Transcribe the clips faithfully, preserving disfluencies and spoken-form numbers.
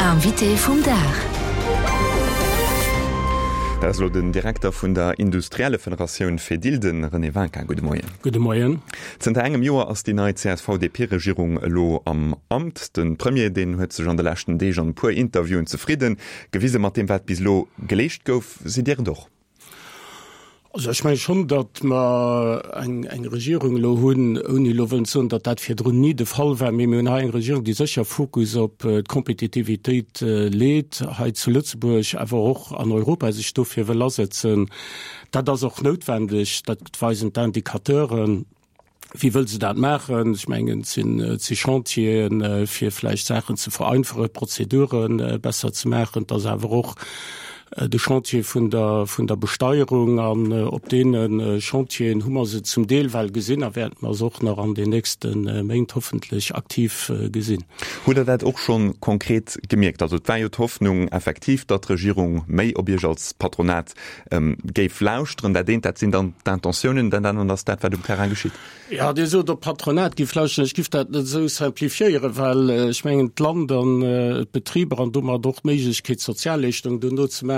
Invité vum Dag. Dat ass elo den Direkter vun der Industriellefederatioun Fedil, de René Winkin. Gudde Moien. Gudde Moien. Zënter engem Joer ass déi nei CSV-DP-Regierung elo am Amt. De Premier, deen huet sech an de leschten Deeg an e puer Interviewen zefridde gewise mat deem, wat bis elo geleescht gouf. Sidd Dir et och? Also ech menge schonn, datt mer eng, eng Regierung elo hunn, ouni elo wëllen ze soen, datt dat virdrun ni de Fall war, mee mir hunn hei eng Regierung, déi sécher Fokus op d'Kompetitivitéit leet, hei zu Lëtzebuerg, awer och an Europa sech dofir wëll asetzen. Dat ass och noutwendeg, dat weisen d'Indicateuren. Wéi wëll se dat maachen? Ech mengen, et sinn, et si Chantieren, fir vläicht Saachen ze vereinfachen, Prozedure besser ze maachen. Et ass awer och de Chantier vun der, vun der Besteierung. An op deene Chantieren hu mer se zum Deel well gesinn a wäerte mer se och nach an den nächste Méint hoffentlech aktiv gesinn. Hutt Der dat och scho konkret gemierkt? Also et war jo d'Hoffnung effektiv, datt d'Regierung méi op Iech als Patronat géif lauschteren. Dat eent, dat sinn dann d'Intentiounen, dat anert ass dat, wat um Terrain geschitt. Jo, Dir sot, op d'Patronat géif lauschteren. Ech géif dat net esou simplifiéieren, well ech mengen, d'Land an d'Betriber an domat och d'Méiglechkeet, d'Sozialleeschtungen duerno ze maachen,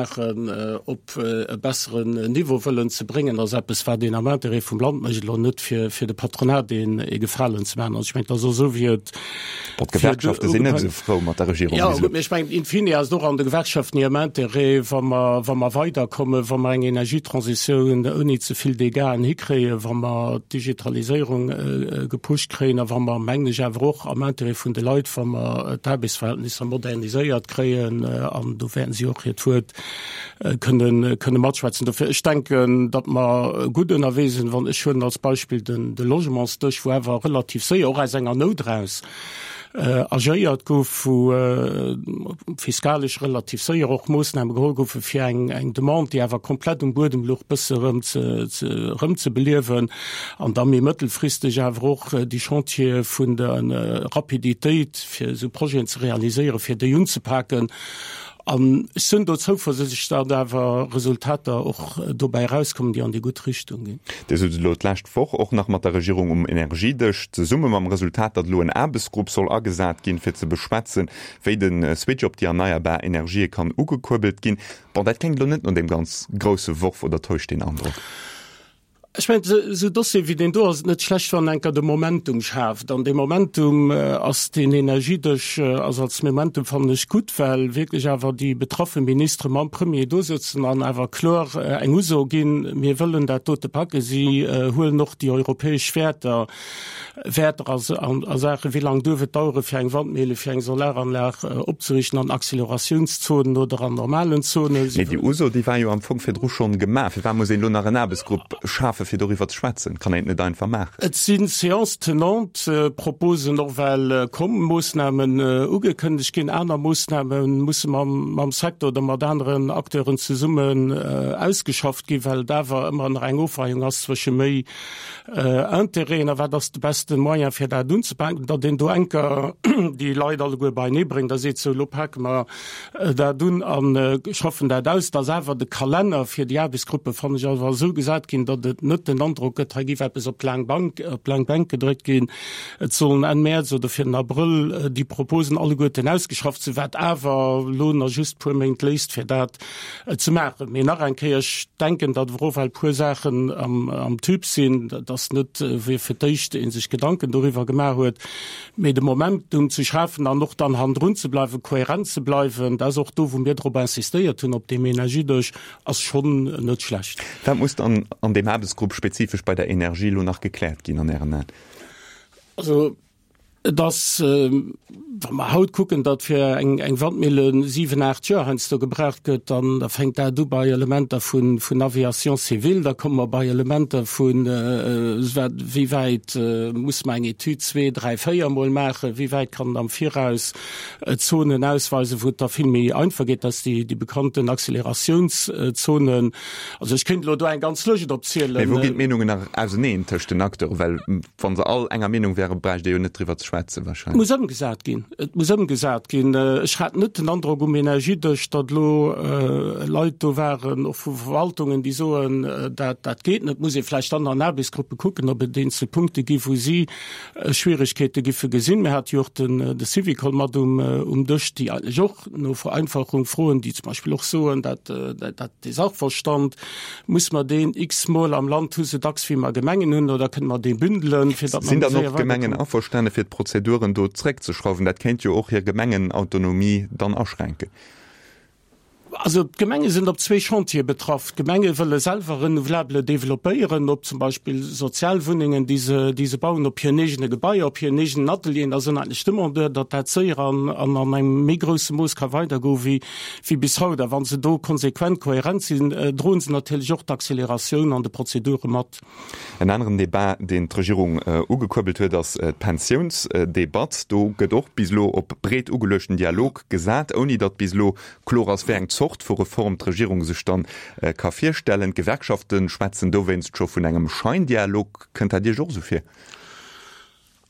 op e besseren Niveau wëllen ze bréngen, ass eppes, wat een am Interêt vum Land mécht, elo net fir de Patronat een Gefalen ze maachen. Also ech mengen, et ass och esou, wéi et Bon, d'Gewerkschafte sinn net esou frou mat der Regierung bis elo. Jo, ech mengen, in fine ass et och an de Gewerkschaften hirem Interêt, wa mer, wa mer weiderkommen, wa mer eng Energietransitioun ouni ze vill Dégâten hikréien, wa mer d'Digitaliséierung gepusht kréien a wa mer, mengen ech, awer och am Interêt vun de Leit, wa mer d'Aarbechtsverhältnisser moderniséiert kréien, an do wäerten si och hiert Wuert kënnen, kënne matschwätzen. Dofir, ech denken, datt mer gutt ënnerwee sinn. Wann ech huelen als Beispill den, de Logementsdësch, wou awer relativ séier, och aus enger Nout eraus, agéiert gouf, wou fiskalesch relativ séier och Moossname geholl goufe fir eng eng Demande, déi awer komplett um Buedem louch, bësse erëm ze ze erëm ze beliewen an da méi mëttelfristeg awer och déi Chantiere vun der Rapiditéit, fir esou Projeten ze realiséieren, fir déi unzepaken. An ech sinn do zouversichtlech, datt awer Resultater och dobäi erauskommen, déi an déi gutt Richtung ginn. Dir sot elo d'lescht Woch och nach mat der Regierung um Energiedësch zesumme mam Resultat, datt elo en Aarbechtsgrupp soll agesat ginn, fir ze beschwätzen, wéi de Switch op déi erneierbar Energië kann ugekuerbelt ginn. Bon, dat kléngt elo net no deem ganz grousse Worf, oder täuscht deen Androck? Ech mengen, esou Dossiere wéi deen do ass et net schlecht, wann enker de Momentum schaaft. An dee Momentum ass deen Energiedësch ass als Momentum, fannen ech, gutt, well wierklech awer déi betraffe Ministere mam Premier do sëtzen an awer kloer eng Uso ginn, Mir wëllen dat dote packen. Si huelen och déi europäesch Wäerter Wäerter a Saachen, wéi laang duerf et dauere fir eng Wandmille, fir eng Solaranlag opzeriichten an Accélératiounszoonen oder an normalen Zonen. Mee déi Uso, déi war jo am Fong virdru schonn gemaach. Firwat muss een elo nach en Aarbechtsgrupp schafen, fir doriwwer ze schwätzen? Kann een et net einfach maachen? Et si Séances tenantes, Proposen och well komm, Moossnamen ugekënnegt ginn. Aner Moossname musse mam Secteur oder mat aneren Acteuren zesummen ausgeschafft ginn, well et awer ëmmer nach eng Ofweiung ass zwësche méi Intérêten a wat ass de beste Moyen fir dat unzepaken, datt een do enker déi Leit alleguer beienee bréngt a seet, sou elo pake mer dat un a schaffen dat aus. Datt awer de Kalenner fir déi Aarbechtsgruppe, fannen ech, awer esou gesat ginn, datt et net den Androck gëtt, hei géif eppes op d'laang Bank, op d'laang Bänk gedréckt ginn. Et sollen Enn Mäerz oder fir den Abrëll déi Proposen alleguerten ausgeschafft sinn, wat awer elo nach just puer Méint léisst fir dat ze maachen. Mee nach eng Kéier, ech denken, datt awer och well puer Saachen am Tube sinn, dat ass net wéi fir d'éischt ee sech Gedanken doriwwer gemaach huet, mee de Momentum ze schafen an och dann hannendrun ze bleiwen, kohärent ze bleiwen, dat ass och do, wou mir drop insistéiert hunn op deem Energiedësch, ass schonn net schlecht. Wat muss dann an deem Aarbechtsgrupp spezifesch bei der Energie elo nach gekläert ginn an Ären Aen? Also Et ass, wa mer haut kucken, datt fir eng Wandmille siwen, aacht Joer heiansdo gebraucht gëtt, dann da fänkt dat u bei Elementer vun Aviation civile, da komme mer bei Elementer vun, wat, wéi wäit muss mer eng Etüd zwee, dräi, véier Mol maachen, wéi wäit kann en am Viraus Zonen ausweisen, wou et da vill méi einfach geet, dat si déi bekannten Accélératiounszonen. Also ech kéint elo do eng ganz Lëscht opzielen. Mee wou ginn d'Meenungen nach auseneen tëscht den Acteuren? Well wa se all enger Meenung wären, bräicht ee jo net driwwer ze schwätzen wahrscheinlech. Muss ëmgesat ginn. Et muss ëmgesat ginn. Ech hat net den Androck um Energiedësch, datt elo Leit do waren, och vu Verwaltungen, déi soen, dat, dat geet net. Et muss ee vläicht dann an Aarbechtsgruppe kucken, ob et eenzel Punkte gi wou si Schwieregkeete giffe gesinn. Mir hate jo och den, de Syvicol mat um, um Dësch, déi eigentlech och no Vereinfachung froen, déi zum Beispill och soen, dat, dat, dee Sachverstand, muss mer deen x-mol am Land hu sou dacks wéi mer Gemengen hunn, oder kënne mer dee bündelen, fir datt mer Sinn méi dann och séier d'Gemengen weiderkommen? averstane fir d'Prozeduren do zréckzeschrauwen? Dat kéint jo och hir Gemengenautonomie dann aschränken. Also d'Gemenge sinn op zwee Chantiere betraff. D'Gemenge wëlle selwer Renouvelabele developpéieren, op zum Beispill Sozialwunnengen, déi se, déi se bauen op hiren eegene Gebaier, op hiren eegenen Atelieren. Da sinn eigentlech Demandeur, datt dat séier an an an engem méi grousse Mooss ka weidergoe wéi, wéi bis haut. A wa se do konsequent, kohärent sinn, droen se natierlech och d'Acceleratioun an de Prozedure mat. En aneren Debat, deen d'Regierung ugekuerbelt huet, ass d'Pensiounsdebatt. Do gëtt och bis elo op breet ugeluechten Dialog gesat, ouni datt bis elo kloer ass, wéi eng Zort vu Reform d'Regierung sech dann ka virstellen. D'Gewerkschafte schwätzen dowéinst scho vun engem Scheindialog. Kënnt dat Iech och esou vir?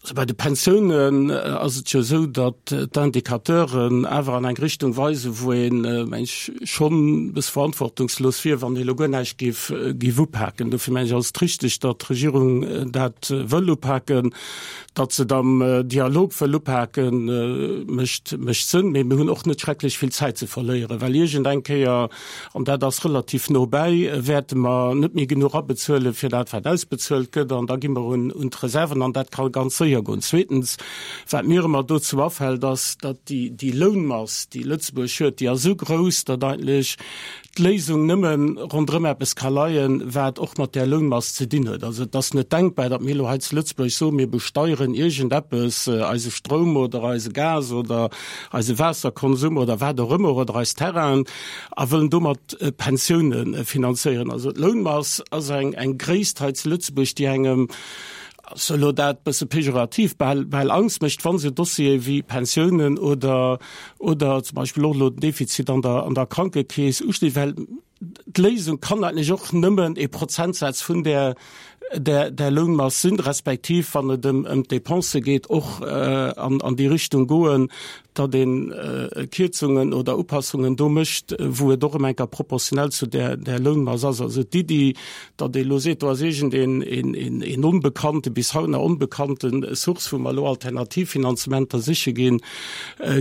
Also bei de Pensiounen ass et jo esou, datt d'Indicateuren awer an eng Richtung weisen, wou een, meng ech, schonn e bësse verantwortungslos wier, wann ee elo guer näischt géif, géif upaken. Dofir meng ech, ass et richteg, datt d'Regierung dat wëll upaken. Datt se et am Dialog wëll upaken, mécht, mécht Sënn. Mee mir hunn och net schrecklech vill Zäit ze verléieren, well iergend eng Kéier, an dat ass relativ no bäi, wäerte mer net méi genuch abezuelen, fir dat, wat ausbezuelt gëtt, an da gi mer un, un d'Reserven, an dat ka ganz séier goen. Zweetens, wat mir ëmmer dozou afält, ass, datt déi, déi Lounmass, déi Lëtzebuerg huet, déi ass esou grouss, datt eigentlech d'Léisung nëmme ronderëm eppes ka leien, wat och mat där Lounmass ze dinn huet. Also et ass net denkbar, datt mir elo hei zu Lëtzebuerg soen, mir besteieren iergendeppes, eise Stroum oder eise Gas oder eise Waasserkonsum oder wat och ëmmer oder eis Terrainen a wëllen domat Pensioune finanzéieren. Also d'Lounmass ass eng, eng Gréisst hei zu Lëtzebuerg, déi engem, ass elo dat bësse pejorativ, bal, bal Angst mécht, wa se Dossiere wéi Pensiounen oder, oder zum Beispill och elo den Defizit an der, an der Krankekeess ustinn, well d'Léisung kann eigentlech och nëmmen e Prozentsaz vun där, där, där Lounmass sinn, respektiv, wann et ëm, ëm d'Dépensë geet, och an, an déi Richtung goen, datt ee Kierzungen oder Upassungen do mécht, wou et och ëm eng Kéier proportionell zu där, där Lounmass ass. Also d'Iddi, datt ee elo seet, do ass iergendeen een, een, een onbekannte, bis haut nach onbekannte Source, wou mer elo Alternativfinanzementer siche ginn,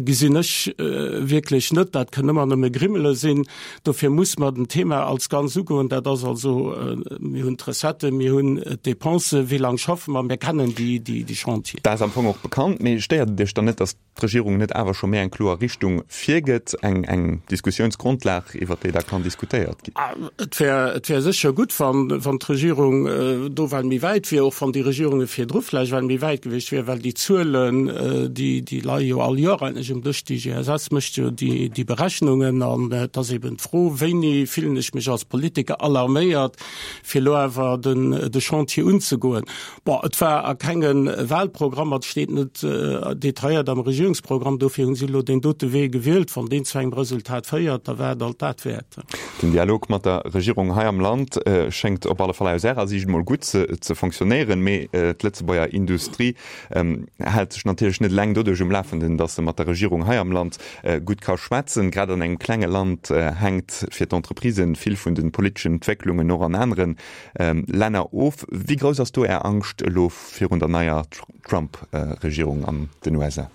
gesinn ech wierklech net. Dat kënn ëmmer nëmme Grimmele sinn. Dofir muss mer den Thema als Ganz ugoen. Dat ass also, mir hunn d'Recetten, mir hunn d'Dépensen, wéi laang schaffe mer, mir kennen déi, déi, déi Chantieren. Dat ass am Fong och bekannt. Mee stéiert et Iech dann net, datt d'Regierung net awer scho méi eng kloer Richtung virgëtt, eng, eng Diskussiounsgrondlag, iwwert déi da kann diskutéiert ginn? Et wär, et wär sécher gutt, wann, wann d'Regierung do well méi wäit wier, och wann déi Regierunge virdru vläicht well méi wäit gewiescht wier, well déi Zuelen, déi, déi leie jo all Joer eigentlech um Dësch. D'IGSS mécht jo déi, déi Berechnungen an et ass eben d'Fro, Wéini fillen ech mech als Politiker alarméiert, fir elo awer den, de Chantier unzegoen? Bon, et war a kenge Wahlprogrammer, et steet net detailléiert am Regierungsprogramm, dofir hu si elo deen dote Wee gewielt. Wann deen zu engem Resultat féiert, da war et alt dat wäert. Den Dialog mat der Regierung hei am Land schéngt op alle Fall aus Ärer Siicht emol gutt ze fonctionnéieren, mee d'Lëtzebuerger Industrie hält sech natierlech net eleng doduerch um Lafenden, datt se mat der Regierung hei am Land gutt ka schwätzen. Grad an engem klenge Land hänkt fir d'Entreprisen vill vun de politeschen Entwécklungen och an anere Länner of. Wéi grouss ass do Är Angscht elo virun der neier Trump-Regierung an den U S A?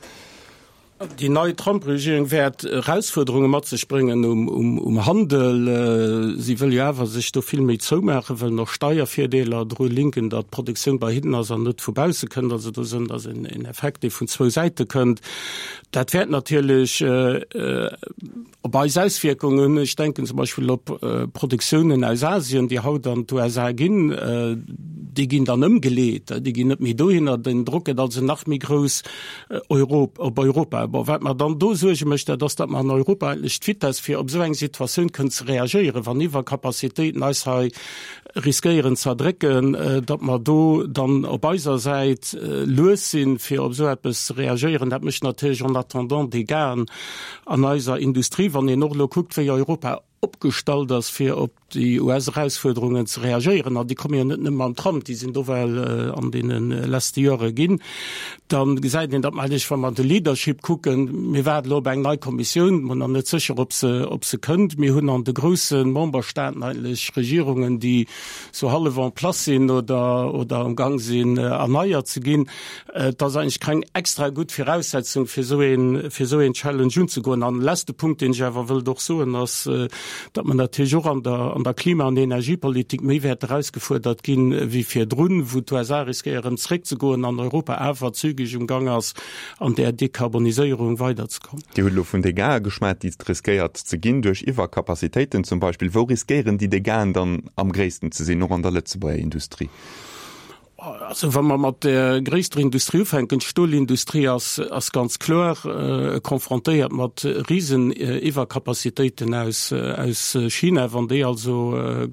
Déi nei Trump-Regierung wäert Erausfuerderunge mat sech bréngen um Handel. Si wëll jo awer sech do vill méi zoumaachen, wëllen och Steiervirdeeler dru linken, datt d'Produktioun bei hinnen ass an net vu bausse kënnt. Also do sinn ass en Effekt, dee vun zwou Säite kënnt. Dat wäert natierlech op eis Auswierkungen hunn. Ech denken zum Beispill op Produktiounen aus Asien, déi haut an d'U S A ginn. Déi ginn dann ëmgeleet, déi ginn net méi dohinner. Den Drock gëtt also nach méi grouss op Europa. Bon, wat mer dann do Suerge mécht, dat ass, datt mer an Europa eigentlech d'Vitesse, fir op esou eng Situatioun kënnen ze reagéieren, wann Iwwercapacitéiten eis hei riskéieren ze erdrécken, datt mer do dann op eiser Säit lues sinn, fir op esou eppes ze reagéieren. Dat mécht natierlech en attendant Dégâten an eiser Industrie, wann een och elo kuckt, wéi Europa opgestallt ass, fir op déi U S-Erausfuerderungen ze reagéieren, an déi komme jo net nëmme mam Trump, déi sinn do well an deene leschte Jore ginn, da gesäit een, datt mer eigentlech, wa mer de Leadership kucken, mir waarden elo op eng nei Kommissioun, mer nach net sécher, ob se, ob se kënnt. Mir hunn an de grousse Memberstaaten eigentlech Regierungen, déi sou hallef en place sinn oder, oder am Gang sinn, erneiert ze ginn. Et ass eigentlech keng extra gutt Viraussetzung, fir esou een, fir esou een Challenge unzegoen. An leschte Punkt, deen ech awer wëllt och soen, ass, datt mer natierlech och an der, an der Klima an Energiepolitik méi wäert erausgefuerdert ginn wéi virdrun, wou d'U S A riskéieren zréckzegoen an Europa awer zügeg um Gang ass, an där Dekarboniséierung weiderzekommen. Dir hutt elo vun Dégâtsë geschwat, déi et riskéiert ze ginn duerch Iwwercapacitéiten zum Beispill. Wou riskéieren déi Dégâten dann am gréissten ze sinn, och an der Lëtzebuerger Industrie? Also wa mer mat der gréisster Industrie ufänken, d'Stolindustrie ass, ass ganz kloer konfrontéiert mat Riseniwwercapacitéiten aus, aus China. Wann déi also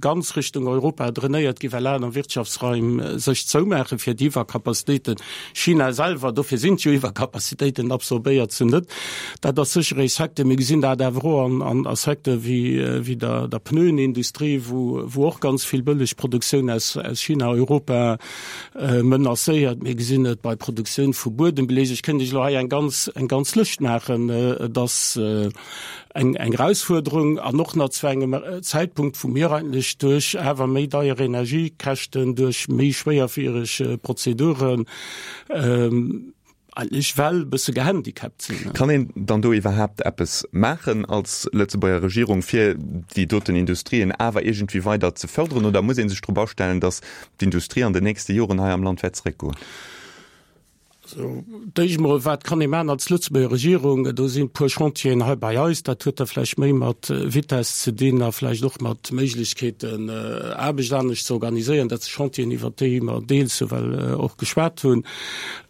ganz Richtung Europa drainéiert gi well aner Wirtschaftsraim sech zoumaache fir déi Iwwercapacitéiten, China selwer, dofir sinn jo Iwwercapacitéiten, absorbéiert se net. Dat ass sécher ee Secteur. Mir gesinn dat awer och an, an a Secteur wéi, wéi der, der Pneuenindustrie, wou, wou och ganz vill bëlleg Produktioun aus, aus China Europa menacéiert. Mir gesinn et bei Produktioun vu Buedembeleg. Ech kéint Iech elo hei eng ganz, eng ganz Lëscht maachen. Et ass eng, eng Erausfuerderung an och nach zu engem Zäitpunkt, wou mir eigentlech duerch awer méi deier Energiekäschten, duerch méi schwéierfiereg Prozeduren, eigentlech well e bësse gehandicapt sinn. Kann een dann do iwwerhaapt eppes maachen als Lëtzebuerger Regierung, fir déi doten Industrien awer iergendwéi weider ze fërderen, oder muss ee sech drop astellen, datt d'Industrie an den nächste Joren hei am Land wäert zeréckgoen? Also, d'éischt emol, wat kann ee maachen als Lëtzebuerger Regierung? Do sinn e puer Chantieren hei bei eis. Dat huet da vläicht méi mat Vitess ze dinn a vläicht och mat Méiglechkeeten, Aarbecht anescht ze organiséieren. Dat si Chantieren, iwwert déi mer deels ewell och geschwat hunn.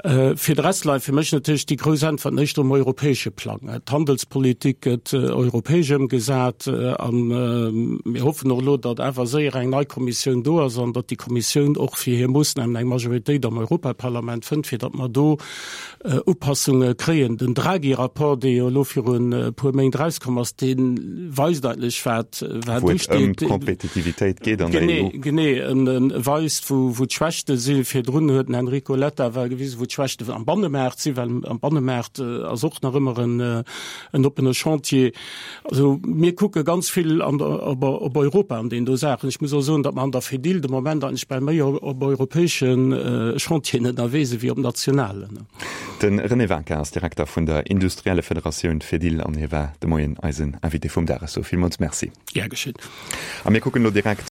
Fir de Rest läit fir mech natierlech déi grouss Äntwert éischter um europäesche Plang. D'Handelspolitik gëtt europäesch ëmgesat a mir hoffen och elo, datt awer séier eng nei Kommissioun do ass an datt déi Kommissioun och fir hir Moossnamen eng Majoritéit am Europaparlament fënnt, fir datt mer do Upassunge kréien. Den Draghi-Rapport, dee jo elo virun e puer Méint erauskomm ass, dee weist eigentlech, wat wat Wou et ëm usteet. d'Kompetitivitéit geet an der Genee, E U. genee. En e weist, wou wou d'Schwächte sinn. Virdrun huet den Enrico Letta well gewisen, wou d'Schwächte am Bannemaart sinn, well am Bannemaart ass och nach ëmmer en en oppene Chantier. Also mir kucke ganz vill an der, op, op Europa an deenen do Saachen. Ech muss och soen, datt mer an der Fedil de Moment eigentlech bal méi op, op europäesche Chantieren ënnerwee sinn, wéi op nationalen. De René Waker ass Direkter vun der Industrielle Federatioun Fedil an hie war de Moien eisen Invité vum Dag. Ech soe villmools Merci. Gär geschétt. A mir kucken elo direkt